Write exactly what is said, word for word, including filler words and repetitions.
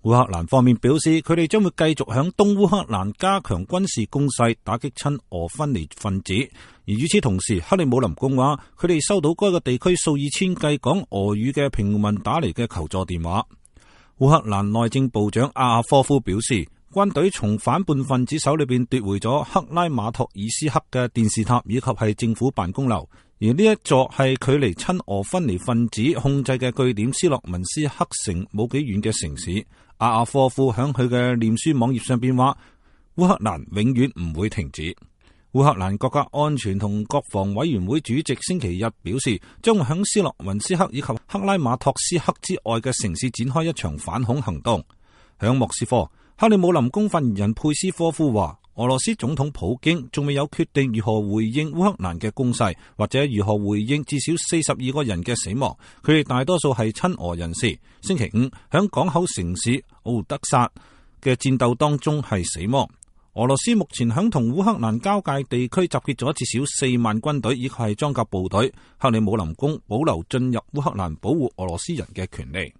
烏克蘭方面表示，佢哋將會繼續響東烏克蘭加強軍事攻勢，打擊親俄分離分子。而與此同時，克里姆林宮話，佢哋收到該個地區數以千計講俄語嘅平民打嚟嘅求助電話。烏克蘭內政部長阿亞科夫表示，軍隊從反叛分子手裏邊奪回咗克拉馬托爾斯克嘅電視塔以及係政府辦公樓，而呢一座係距離親俄分離分子控制嘅據點斯洛文斯克城冇幾遠嘅城市。阿亞科夫響佢嘅臉書網頁上邊話，烏克蘭永遠唔會停止。烏克蘭國家安全同國防委員會主席星期日表示，將會響斯洛文斯克以及克拉馬托斯克之外嘅城市展開一場反恐行動。響莫斯科，克里姆林宮發言人佩斯科夫話，俄羅斯總統普京仲未有決定如何回應烏克蘭嘅攻勢，或者如何回應至少四十二個人嘅死亡。佢哋大多數係親俄人士。星期五響港口城市奧德薩嘅戰鬥當中係死亡。俄羅斯目前響同烏克蘭交界地區集結咗至少四萬軍隊，以及係裝甲部隊。克里姆林宮保留進入烏克蘭保護俄羅斯人嘅權利。